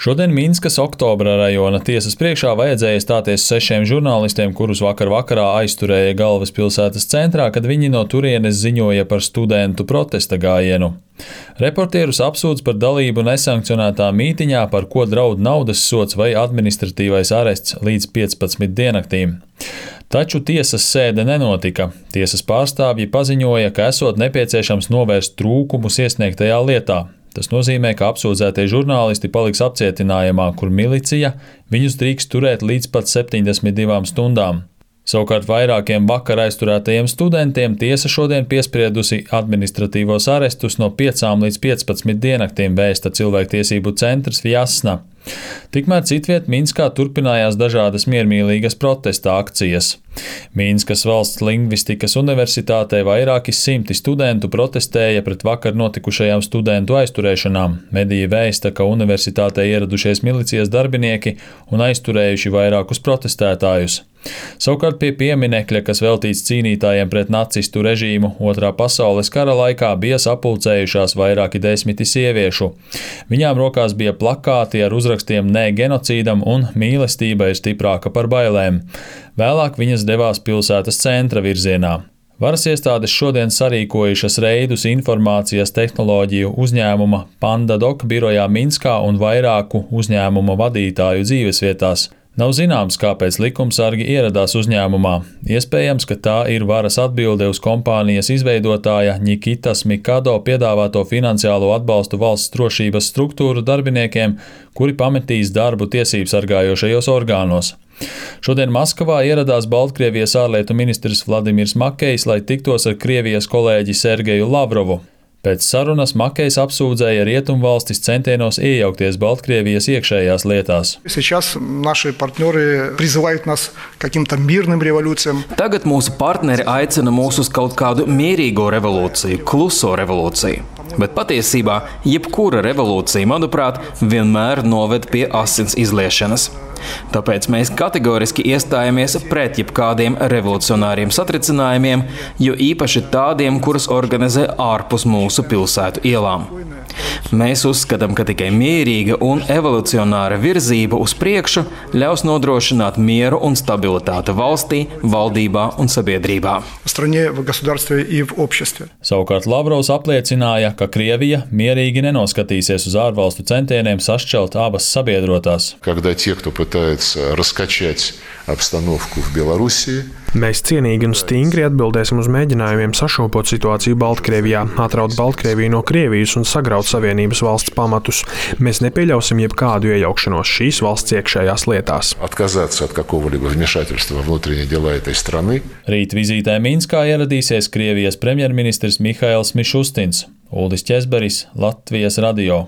Šodien Minskas Oktobra rajona tiesas priekšā vajadzēja stāties 6 žurnālistiem, kurus vakarā aizturēja galvaspilsētas centrā, kad viņi no turienes ziņoja par studentu protesta gājienu. Reportierus apsūdz par dalību nesankcionētā mītiņā, par ko draud naudas sods vai administratīvais arests līdz 15 diennaktīm. Taču tiesas sēde nenotika. Tiesas pārstāvji paziņoja, ka esot nepieciešams novērst trūkumus iesniegtajā lietā. Tas nozīmē, ka apsūdzētie žurnālisti paliks apcietinājumā, kur milicija viņus drīkst turēt līdz pat 72 stundām. Savukārt vairākiem vakar aizturētajiem studentiem tiesa šodien piespriedusi administratīvos arestus no 5 līdz 15 diennaktīm, vēsta cilvēktiesību centrs Vjasna. Tikmēr citviet Minskā turpinājās dažādas miermīlīgas protesta akcijas. Minskas valsts lingvistikas universitātē vairāki simti studentu protestēja pret vakar notikušajām studentu aizturēšanām. Mediji vēsta, ka universitātē ieradušies milicijas darbinieki un aizturējuši vairākus protestētājus. Savukārt pie pieminekļa, kas veltīts cīnītājiem pret nacistu režīmu Otrā pasaules kara laikā, bija sapulcējušās vairāki desmiti sieviešu. Viņām rokās bija plakāti ar uzrakstiem "Nē genocīdam" un "Mīlestība ir stiprāka par bailēm". Vēlāk viņas devās pilsētas centra virzienā. Varas iestādes šodien sarīkojušas reidus informācijas tehnoloģiju uzņēmuma Pandadoc birojā Minskā un vairāku uzņēmuma vadītāju dzīvesvietās. Nav zināms, kāpēc likumsargi ieradās uzņēmumā. Iespējams, ka tā ir varas atbilde uz kompānijas izveidotāja Nikitas Mikado piedāvāto finansiālo atbalstu valsts drošības struktūru darbiniekiem, kuri pametīs darbu tiesību sargājošajos orgānos. Šodien Maskavā ieradās Baltkrievijas ārlietu ministrs Vladimirs Makejs, lai tiktos ar Krievijas kolēģi Sergeju Lavrovu. Pēc sarunas Makejs apsūdzēja Rietumvalstis centienos iejaukties Baltkrievijas iekšējās lietās. Tagad mūsu partneri aicina mūs uz kaut kādu mierīgo revolūciju, kluso revolūciju. Bet patiesībā jebkura revolūcija, manuprāt, vienmēr noved pie asins izliešanas. Tāpēc mēs kategoriski iestājamies pret jebkādiem revolucionāriem satricinājumiem, jo īpaši tādiem, kurus organizē ārpus mūsu pilsētu ielām. Mēs uzskatām, ka tikai mierīga un evolucionāra virzība uz priekšu ļaus nodrošināt mieru un stabilitāti valstī, valdībā un sabiedrībā. Savukārt Lavrovs apliecināja, ka Krievija mierīgi nenoskatīsies uz ārvalstu centieniem sašķelt abas sabiedrotās. Mēs cienīgi un stingri atbildēsim uz mēģinājumiem sašūpot situāciju Baltkrievijā, atraut Baltkrieviju no Krievijas un sagraut Savienības valsts pamatus. Mēs nepieļausim jebkādu iejaukšanos šīs valsts iekšējās lietās. Rīt vizītē Minskā ieradīsies Krievijas premjerministrs Mihails Mišustins. Uldis Ķezberis, Latvijas radio.